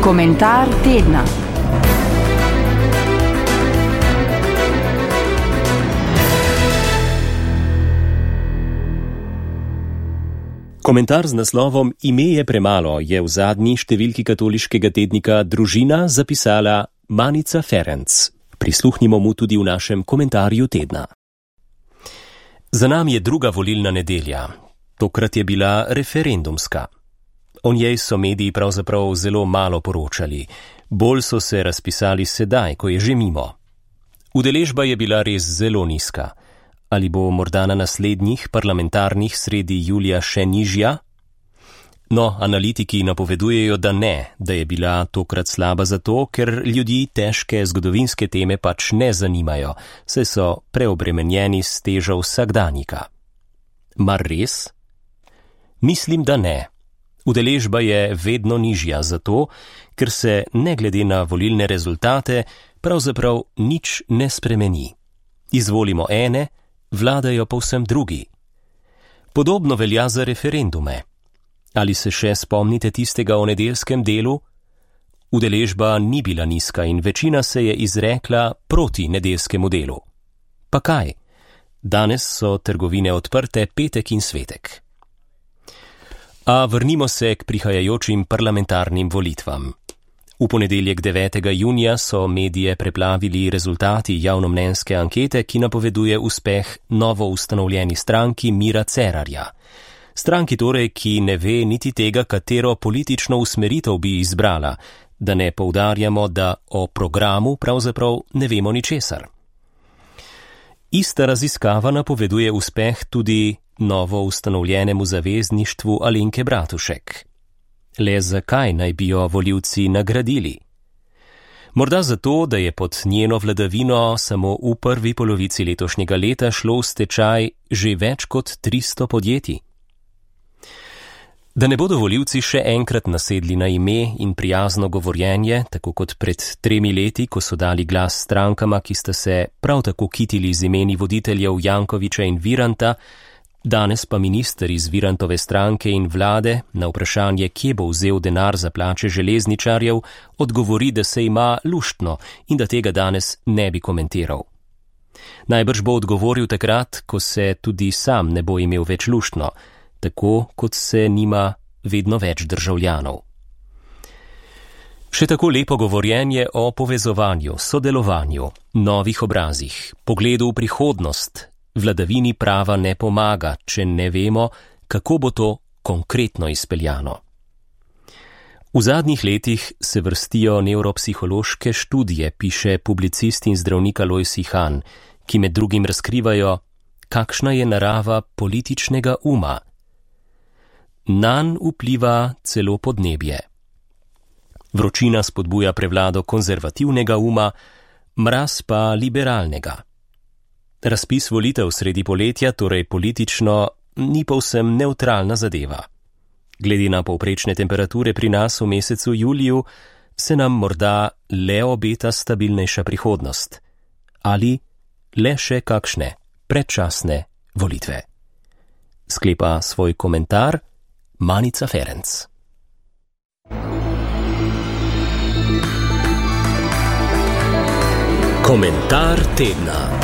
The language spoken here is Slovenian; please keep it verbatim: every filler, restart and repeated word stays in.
Komentar tedna. Komentar z naslovom Ime je premalo je v zadnji številki katoliškega tednika Družina zapisala Manica Ferenc. Prisluhnimo mu tudi v našem komentarju tedna. Za nami je druga volilna nedelja. Tokrat je bila referendumska. O njej so mediji pravzaprav zelo malo poročali. Bolj so se razpisali sedaj, ko je že mimo. Udeležba je bila res zelo nizka. Ali bo morda na naslednjih parlamentarnih sredi julija še nižja? No, analitiki napovedujejo, da ne, da je bila tokrat slaba zato, ker ljudi težke zgodovinske teme pač ne zanimajo, saj so preobremenjeni s težo vsakdanjika. Mar res? Mislim, da ne. Udeležba je vedno nižja zato, ker se ne glede na volilne rezultate pravzaprav nič ne spremeni. Izvolimo ene, vladajo povsem drugi. Podobno velja za referendume. Ali se še spomnite tistega o nedeljskem delu? Udeležba ni bila nizka in večina se je izrekla proti nedeljskemu delu. Pa kaj? Danes so trgovine odprte petek in svetek. A vrnimo se k prihajajočim parlamentarnim volitvam. V ponedeljek devetega junija so medije preplavili rezultati javnomnenjske ankete, ki napoveduje uspeh novo ustanovljeni stranki Mira Cerarja. Stranki torej, ki ne ve niti tega, katero politično usmeritev bi izbrala, da ne poudarjamo, da o programu pravzaprav ne vemo ničesar. Ista raziskava napoveduje uspeh tudi novo ustanovljenemu zavezništvu Alenke Bratušek. Le zakaj naj bi jo volivci nagradili? Morda zato, da je pod njeno vladavino samo v prvi polovici letošnjega leta šlo v stečaj že več kot tristo podjetij. Da ne bodo volivci še enkrat nasedli na ime in prijazno govorjenje, tako kot pred tremi leti, ko so dali glas strankama, ki sta se prav tako kitili z imeni voditeljev Jankoviča in Viranta, danes pa minister iz Virantove stranke in vlade na vprašanje, kje bo vzel denar za plače železničarjev, odgovori, da se ima luštno in da tega danes ne bi komentiral. Najbrž bo odgovoril takrat, ko se tudi sam ne bo imel več luštno, tako kot se nima vedno več državljanov. Še tako lepo govorjenje o povezovanju, sodelovanju, novih obrazih, pogledu v prihodnost, vladavini prava ne pomaga, če ne vemo, kako bo to konkretno izpeljano. V zadnjih letih se vrstijo nevropsihološke študije, piše publicist in zdravnik Alojz Ihan, ki med drugim razkrivajo, kakšna je narava političnega uma. Nanj vpliva celo podnebje. Vročina spodbuja prevlado konzervativnega uma, mraz pa liberalnega. Razpis volitev sredi poletja, torej politično, ni povsem nevtralna zadeva. Glede na povprečne temperature pri nas v mesecu juliju, se nam morda le obeta stabilnejša prihodnost. Ali le še kakšne predčasne volitve. Sklepa svoj komentar Manica Ferenc. Komentar tedna.